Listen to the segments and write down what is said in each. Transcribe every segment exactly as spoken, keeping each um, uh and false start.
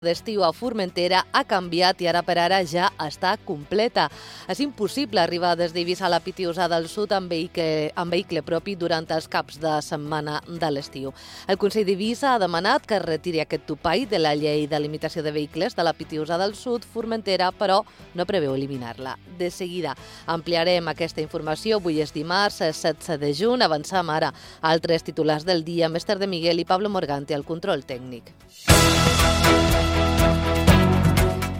d'estiu a Formentera ha canviat i ara per ara ja està completa. És impossible arribar des d'Eivissa a la Pitiusà del Sud amb vehicle, amb vehicle propi durant els caps de setmana de l'estiu. El Consell d'Eivissa ha demanat que es retiri aquest topall de la llei de limitació de vehicles de la Pitiusà del Sud. Formentera, però, no preveu eliminar-la. De seguida ampliarem aquesta informació. Avui és dimarts, setze de juny. Avancem ara a altres titulars del dia. Mestre de Miguel i Pablo Morgante al control tècnic.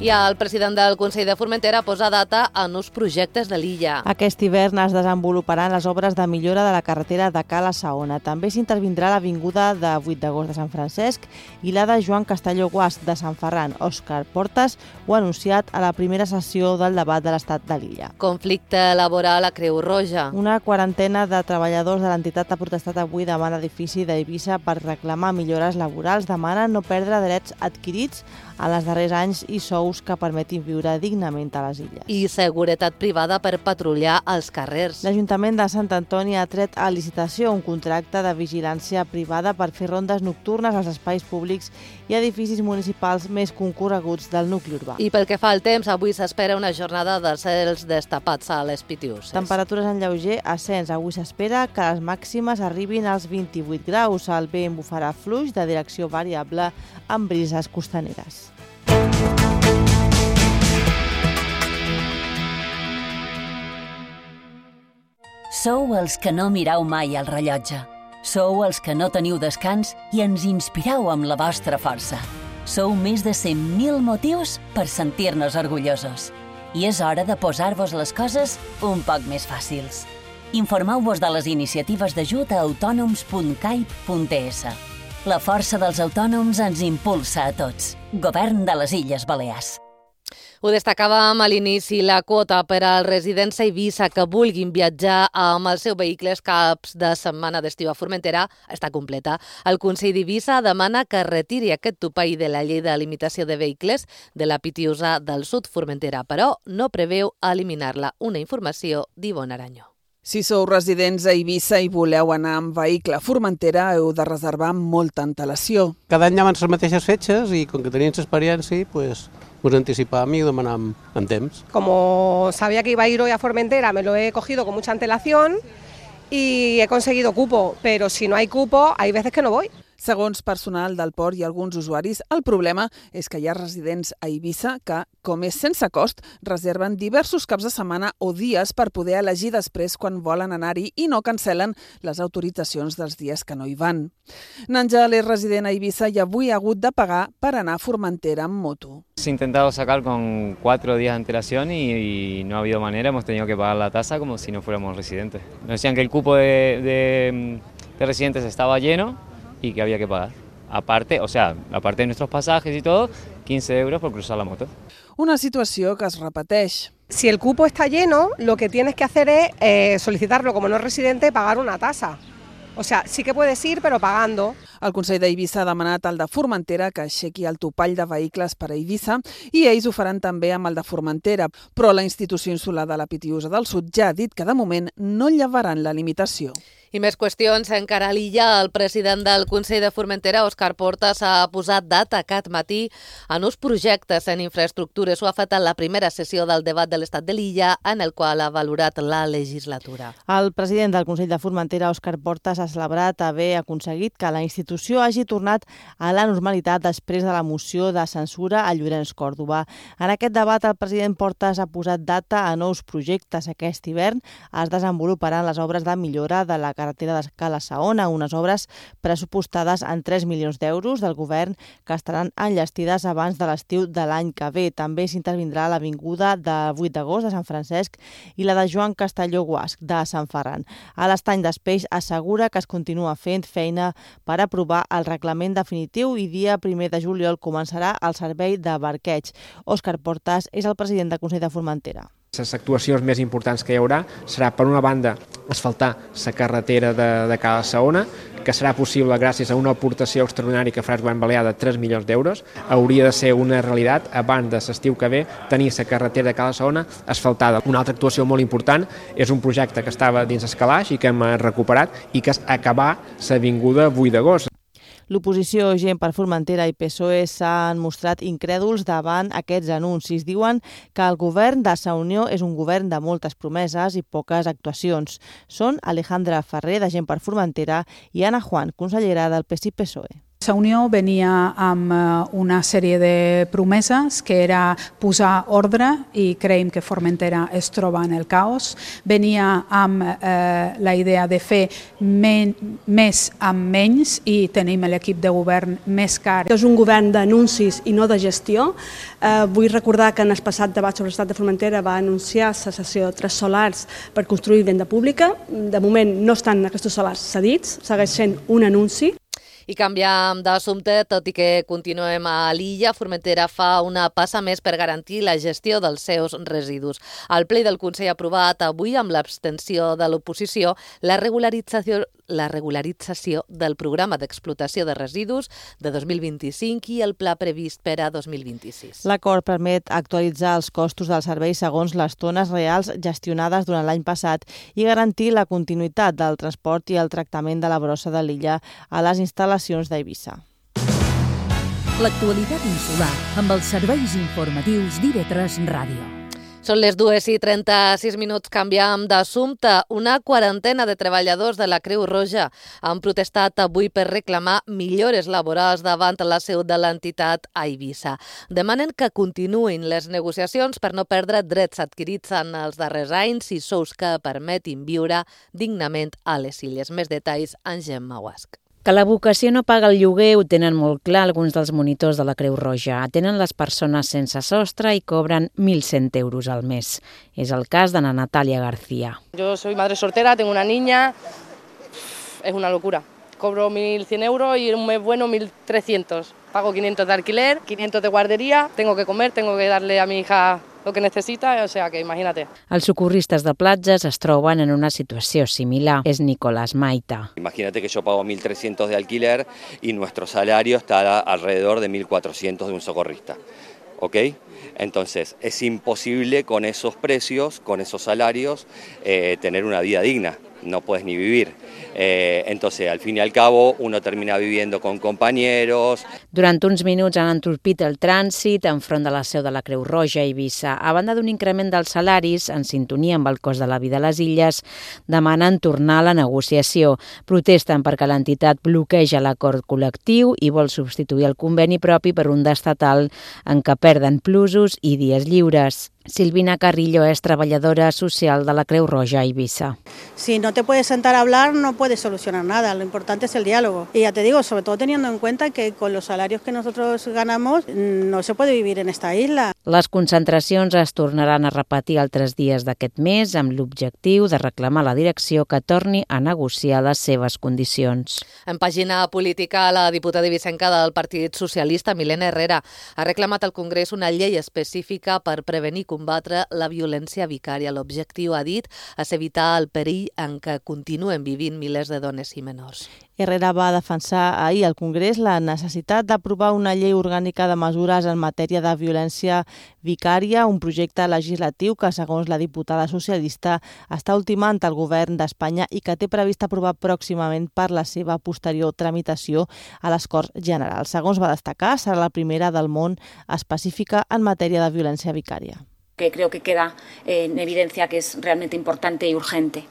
I el president del Consell de Formentera posa data a nous projectes de l'illa. Aquest hivern es desenvoluparan les obres de millora de la carretera de Cala Saona. També s'intervindrà l'avinguda de vuit d'agost de Sant Francesc i la de Joan Castelló Guasch de Sant Ferran. Òscar Portas ho ha anunciat a la primera sessió del debat de l'estat de l'illa. Conflicte laboral a Creu Roja. Una quarantena de treballadors de l'entitat ha protestat avui davant l'edifici d'Eivissa per reclamar millores laborals. Demanen no perdre drets adquirits en els darrers anys i sous que permetin viure dignament a les illes. I seguretat privada per patrullar els carrers. L'Ajuntament de Sant Antoni ha tret a licitació un contracte de vigilància privada per fer rondes nocturnes als espais públics i edificis municipals més concorreguts del nucli urbà. I pel que fa al temps, avui s'espera una jornada de cels destapats a les Pitiuses. Temperatures en lleuger ascens. Avui s'espera que les màximes arribin als vint-i-vuit graus. El vent bufarà fluix de direcció variable amb brises costaneres. Sou els que no mireu mai el rellotge. Sou els que no teniu descans i ens inspireu amb la vostra força. Sou més de cent mil motius per sentir-nos orgullosos. I és hora de posar-vos les coses un poc més fàcils. Informeu-vos de les iniciatives d'ajut a autònoms punt cai punt es. La força dels autònoms ens impulsa a tots. Govern de les Illes Balears. Ho destacàvem a l'inici, la quota per als residents a Eivissa que vulguin viatjar amb els seus vehicles caps de setmana d'estiu a Formentera està completa. El Consell d'Eivissa demana que retiri aquest topall de la llei de limitació de vehicles de la Pitiusà del Sud Formentera, però no preveu eliminar-la. Una informació d'Ivonne Arañó. Si sou residents a Eivissa i voleu anar amb vehicle a Formentera, heu de reservar amb molta antelació. Cada any abans les mateixes fetges i com que teníem experiència, pues, nos anticipàvem i demanàvem amb temps. Como sabía que iba a ir hoy a Formentera, me lo he cogido con mucha antelación y he conseguido cupo, pero si no hay cupo, hay veces que no voy. Segons personal del port i alguns usuaris, el problema és que hi ha residents a Eivissa que, com és sense cost, reserven diversos caps de setmana o dies per poder elegir després quan volen anar-hi i no cancel·len les autoritzacions dels dies que no hi van. Nanjal és resident a Eivissa i avui ha hagut de pagar per anar a Formentera amb moto. Se ha intentado sacar con cuatro días de antelación y, y no ha habido manera, hemos tenido que pagar la tasa como si no fuéramos residentes. Nos decían que el cupo de, de, de residentes estaba lleno y que había que pagar. Aparte, o sea, aparte de nuestros pasajes y todo, quince euros por cruzar la moto. Una situació que es repeteix. Si el cupo está lleno, lo que tienes que hacer es eh, solicitarlo como no residente, pagar una tasa. O sea, sí que puedes ir, pero pagando. El Consell d'Eivissa ha demanat al de Formentera que aixequi el topall de vehicles per a Eivissa i ells ho faran també amb el de Formentera, però la institució insular de la Pitiusà del Sud ja ha dit que de moment no llevaran la limitació. I més qüestions encara a l'illa. El president del Consell de Formentera, Òscar Portas, ha posat data aquest matí a nous projectes en infraestructures. Ho ha fet en la primera sessió del debat de l'estat de l'illa, en el qual ha valorat la legislatura. El president del Consell de Formentera, Òscar Portas, ha celebrat haver aconseguit que la institució hagi tornat a la normalitat després de la moció de censura a Llorenç Còrdova. En aquest debat, el president Portas ha posat data a nous projectes. Aquest hivern es desenvoluparan les obres de millora de la carretera de Cala Saona, unes obres pressupostades en tres milions d'euros del govern que estaran enllestides abans de l'estiu de l'any que ve. També s'intervindrà l'avinguda de vuit d'agost de Sant Francesc i la de Joan Castelló Guasch de Sant Ferran. A l'Estany d'Espeix assegura que es continua fent feina per aprovar el reglament definitiu i dia primer de juliol començarà el servei de barqueig. Òscar Portas és el president del Consell de Formentera. Les actuacions més importants que hi haurà serà, per una banda, asfaltar la carretera de, de Cala Saona, que serà possible gràcies a una aportació extraordinària que farà el govern balear de tres milions d'euros. Hauria de ser una realitat, abans de l'estiu que ve, tenir la carretera de Cala Saona asfaltada. Una altra actuació molt important és un projecte que estava dins el calaix i que hem recuperat i que és acabar l'avinguda vuit d'agost. L'oposició Gent per Formentera i P S O E s'han mostrat incrèduls davant aquests anuncis. Diuen que el govern de Sa Unió és un govern de moltes promeses i poques actuacions. Són Alejandra Ferrer, de Gent per Formentera, i Ana Juan, consellera del P S I P S O E. Sa Unió venia amb una sèrie de promeses que era posar ordre i creiem que Formentera es troba en el caos. Venia amb eh, la idea de fer men més amb menys i tenim l'equip de govern més car. És un govern d'anuncis i no de gestió. Eh, vull recordar que en el passat debat sobre l'estat de Formentera va anunciar la cessió de tres solars per construir vivenda pública. De moment no estan aquests solars cedits, segueix sent un anunci. I canviam d'assumpte, tot i que continuem a l'illa, Formentera fa una passa més per garantir la gestió dels seus residus. El ple del Consell ha aprovat avui, amb l'abstenció de l'oposició, la regularització la regularització del programa d'explotació de residus de dos mil vint-i-cinc i el pla previst per a dos mil vint-i-sis. L'acord permet actualitzar els costos del servei segons les tones reals gestionades durant l'any passat i garantir la continuïtat del transport i el tractament de la brossa de l'illa a les instal·lacions d'Eivissa. L'actualitat insular amb els serveis informatius d'I V tres Ràdio. Són les dues i trenta-sis minuts, canviam d'assumpte. Una quarantena de treballadors de la Creu Roja han protestat avui per reclamar millores laborals davant la seu de l'entitat a Eivissa. Demanen que continuïn les negociacions per no perdre drets adquirits en els darrers anys i sous que permetin viure dignament a les illes. Més detalls en Gemma Guasc. Que la vocació no paga el lloguer ho tenen molt clar alguns dels monitors de la Creu Roja. Atenen les persones sense sostre i cobren mil cent euros al mes. És el cas de Natalia García. Yo soy madre soltera, tengo una niña, es una locura. Cobro mil cien euros y un mes bueno mil trescientos. Pago quinientos de alquiler, quinientos de guardería, tengo que comer, tengo que darle a mi hija lo que necesita, o sea que imagínate. Els socorristes de platges es troben en una situació similar. És Nicolás Maita. Imagínate que yo pago mil trescientos de alquiler y nuestro salario está alrededor de mil cuatrocientos de un socorrista. ¿Ok? Entonces, es imposible con esos precios, con esos salarios, eh, tener una vida digna. No puedes ni vivir. Eh, entonces, al fin y al cabo, uno termina viviendo con compañeros. Durant uns minuts han entorpit el trànsit enfront de la seu de la Creu Roja a Eivissa. A banda d'un increment dels salaris, en sintonia amb el cost de la vida a les illes, demanen tornar a la negociació. Protesten perquè l'entitat bloqueja l'acord col·lectiu i vol substituir el conveni propi per un d'estatal en què perden plusos i dies lliures. Silvina Carrillo es treballadora social de la Creu Roja a Eivissa. Si no te puedes sentar a hablar, no puedes solucionar nada. Lo importante es el diálogo. Y ya te digo, sobre todo teniendo en cuenta que con los salarios que nosotros ganamos no se puede vivir en esta isla. Les concentracions es tornaran a repetir altres dies d'aquest mes amb l'objectiu de reclamar a la direcció que torni a negociar les seves condicions. En pàgina política, la diputada ibicenca del Partit Socialista, Milena Herrera, ha reclamat al Congrés una llei específica per prevenir i combatre la violència vicària. L'objectiu, ha dit, és evitar el perill en què continuen vivint milers de dones i menors. Herrera va defensar ahir al Congrés la necessitat d'aprovar una llei orgànica de mesures en matèria de violència vicària, un projecte legislatiu que, segons la diputada socialista, està ultimant el govern d'Espanya i que té previst aprovar pròximament per la seva posterior tramitació a les Corts Generals. Segons va destacar, serà la primera del món específica en matèria de violència vicària. Que creo que queda en evidencia que es realmente importante y urgente.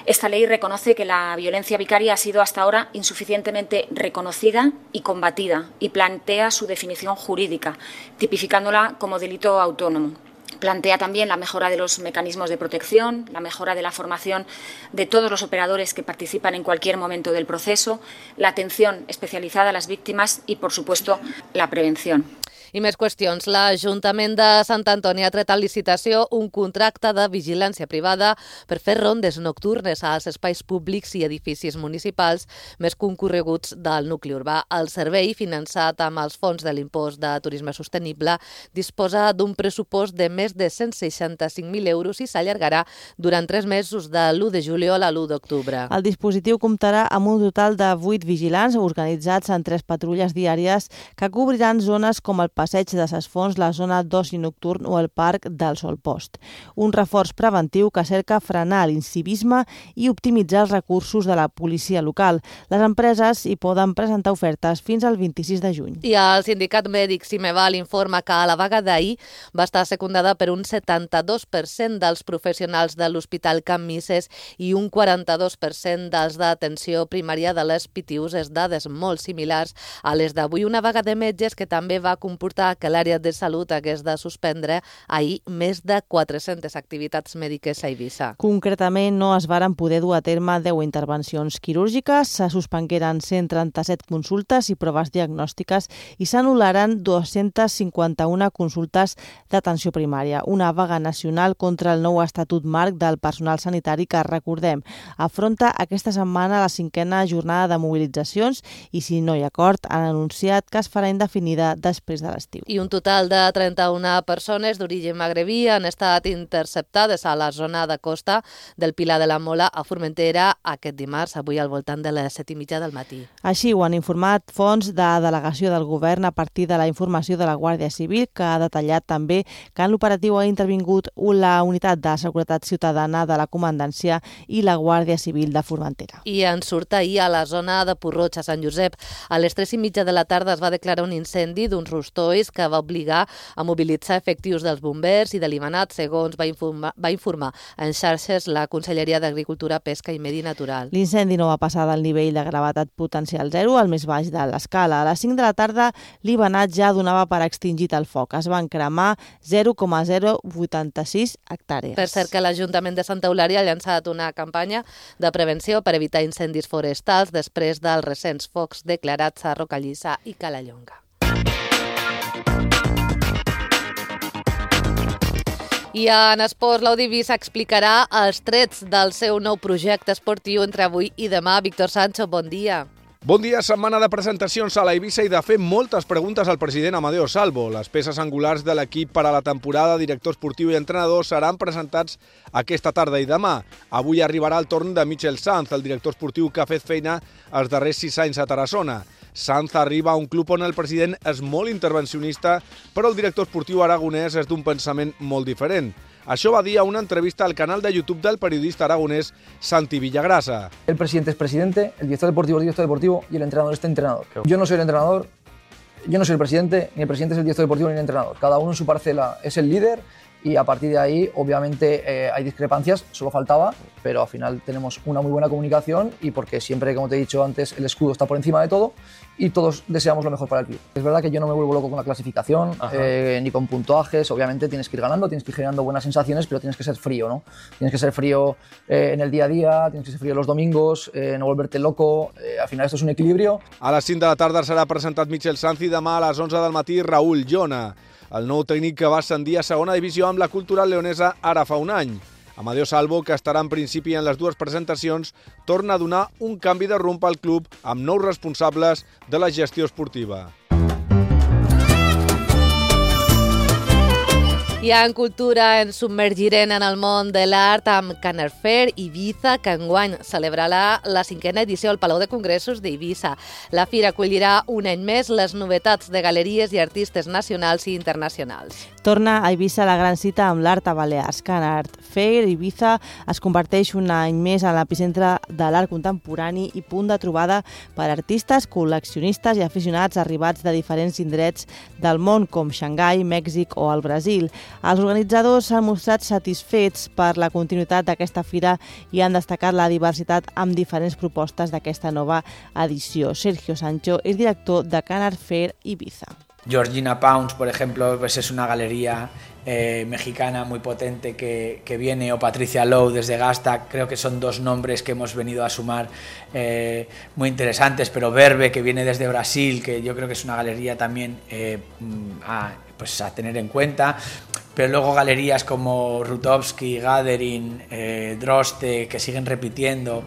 Esta ley reconoce que la violencia vicaria ha sido hasta ahora insuficientemente reconocida y combatida y plantea su definición jurídica, tipificándola como delito autónomo. Plantea también la mejora de los mecanismos de protección, la mejora de la formación de todos los operadores que participan en cualquier momento del proceso, la atención especializada a las víctimas y, por supuesto, la prevención. I més qüestions. L'Ajuntament de Sant Antoni ha tret a licitació un contracte de vigilància privada per fer rondes nocturnes als espais públics i edificis municipals més concorreguts del nucli urbà. El servei, finançat amb els fons de l'impost de turisme sostenible, disposa d'un pressupost de més de cent seixanta-cinc mil euros i s'allargarà durant tres mesos, de l'u de juliol a l'u d'octubre. El dispositiu comptarà amb un total de vuit vigilants organitzats en tres patrulles diàries que cobriran zones com el Passeig de Ses Fonts, la zona d'oci nocturn o el Parc del Solpost. Un reforç preventiu que cerca frenar l'incivisme i optimitzar els recursos de la policia local. Les empreses hi poden presentar ofertes fins al vint-i-sis de juny. I el sindicat mèdic Cimeval informa que a la vaga d'ahir va estar secundada per un setanta-dos per cent dels professionals de l'Hospital Can Misses i un quaranta-dos per cent dels d'atenció primària de les P T Us, dades molt similars a les d'avui. Una vaga de metges que també va comportar que l'àrea de salut hagués de suspendre ahir més de quatre-centes activitats mèdiques a Eivissa. Concretament, no es varen poder dur a terme deu intervencions quirúrgiques, se suspengueren cent trenta-set consultes i proves diagnòstiques i s'anul·laren dos-centes cinquanta-una consultes d'atenció primària. Una vaga nacional contra el nou estatut marc del personal sanitari que, recordem, afronta aquesta setmana la cinquena jornada de mobilitzacions i, si no hi ha acord, han anunciat que es farà indefinida després de l'estiu. I un total de trenta-una persones d'origen magrebí han estat interceptades a la zona de costa del Pilar de la Mola a Formentera aquest dimarts, avui al voltant de les set i mitja del matí. Així ho han informat fonts de delegació del govern a partir de la informació de la Guàrdia Civil, que ha detallat també que en l'operatiu ha intervingut la Unitat de Seguretat Ciutadana de la Comandància i la Guàrdia Civil de Formentera. I en surt ahir a la zona de Porroig, a Sant Josep. A les tres i mitja de la tarda es va declarar un incendi d'uns rostolls que va obligar a mobilitzar efectius dels bombers i de l'Imanat, segons va informar, va informar en xarxes la Conselleria d'Agricultura, Pesca i Medi Natural. L'incendi no va passar del nivell de gravetat potencial zero al més baix de l'escala. A les cinc de la tarda l'Imanat ja donava per extingit el foc. Es van cremar zero coma zero vuitanta-sis hectàrees. Per cert que l'Ajuntament de Santa Eulària ha llançat una campanya de prevenció per evitar incendis forestals després dels recents focs declarats a Rocallissa i Calallonga. I en esports, l'Audivisa explicarà els trets del seu nou projecte esportiu entre avui i demà. Víctor Sancho, bon dia. Bon dia, setmana de presentacions a la Eivissa i de fer moltes preguntes al president Amadeo Salvo. Les peces angulars de l'equip per a la temporada, director esportiu i entrenador, seran presentats aquesta tarda i demà. Avui arribarà el torn de Michel Sanz, el director esportiu que ha fet feina els darrers sis anys a Tarassona. Sanz arriba a un club on el president és molt intervencionista, però el director esportiu aragonès és d'un pensament molt diferent. Això va dir a una entrevista al canal de YouTube del periodista aragonés Santi Villagrasa. El presidente es presidente, el director deportivo es director deportivo y el entrenador es entrenador. Yo no soy el entrenador, yo no soy el presidente, ni el presidente es el director deportivo ni el entrenador. Cada uno en su parcela es el líder y a partir de ahí, obviamente, eh, hay discrepancias, solo faltaba, pero al final tenemos una muy buena comunicación y porque siempre, como te he dicho antes, el escudo está por encima de todo y todos deseamos lo mejor para el club. Es verdad que yo no me vuelvo loco con la clasificación, eh, ni con puntuajes. Obviamente tienes que ir ganando, tienes que ir generando buenas sensaciones, pero tienes que ser frío, ¿no? Tienes que ser frío eh, en el día a día, tienes que ser frío los domingos, eh, no volverte loco. Eh, al final esto es un equilibrio. A les cinc de la tarda serà presentat Michel Sanz i demà a les onze del matí Raúl Llona, el nou tècnic que va ascendir a segona divisió amb la Cultural Leonesa ara fa un any. Amadeo Salvo, que estarà en principi en les dues presentacions, torna a donar un canvi de rumb al club amb nous responsables de la gestió esportiva. I en cultura ens submergirem en el món de l'art amb Can Art Fair Ibiza, que enguany celebrarà la cinquena edició al Palau de Congressos d'Eivissa. La fira acollirà un any més les novetats de galeries i artistes nacionals i internacionals. Torna a Eivissa la gran cita amb l'art a Balears. Can Art Fair Ibiza es converteix un any més en l'epicentre de l'art contemporani i punt de trobada per artistes, col·leccionistes i aficionats arribats de diferents indrets del món, com Xangai, Mèxic o el Brasil. Els organitzadors s'han mostrat satisfets per la continuïtat d'aquesta fira i han destacat la diversitat amb diferents propostes d'aquesta nova edició. Sergio Sancho és director de Can Art Fair Ibiza. Georgina Pounds, por ejemplo, pues es una galería eh, mexicana muy potente que, que viene, o Patricia Lowe desde Gasta. Creo que son dos nombres que hemos venido a sumar eh, muy interesantes, pero Verbe, que viene desde Brasil, que yo creo que es una galería también eh, a, pues a tener en cuenta. Pero luego galerías como Rutowski, Gathering, eh, Droste, que siguen repitiendo.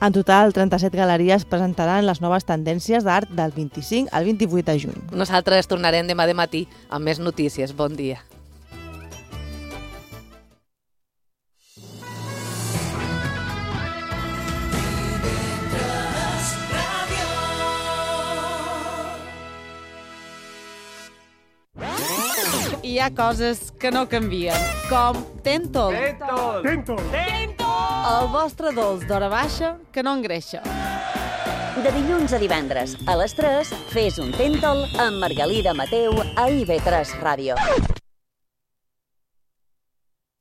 En total, trenta-set galeries presentaran les noves tendències d'art del vint-i-cinc al vint-i-vuit de juny. Nosaltres tornarem demà de matí amb més notícies. Bon dia. hi ha coses que no canvien, com Tentol. Tentol! Tentol! Tentol! El vostre dolç d'hora baixa que no engreixa. De dilluns a divendres, a les tres, fes un Tentol amb Margalida Mateu a I V tres Ràdio.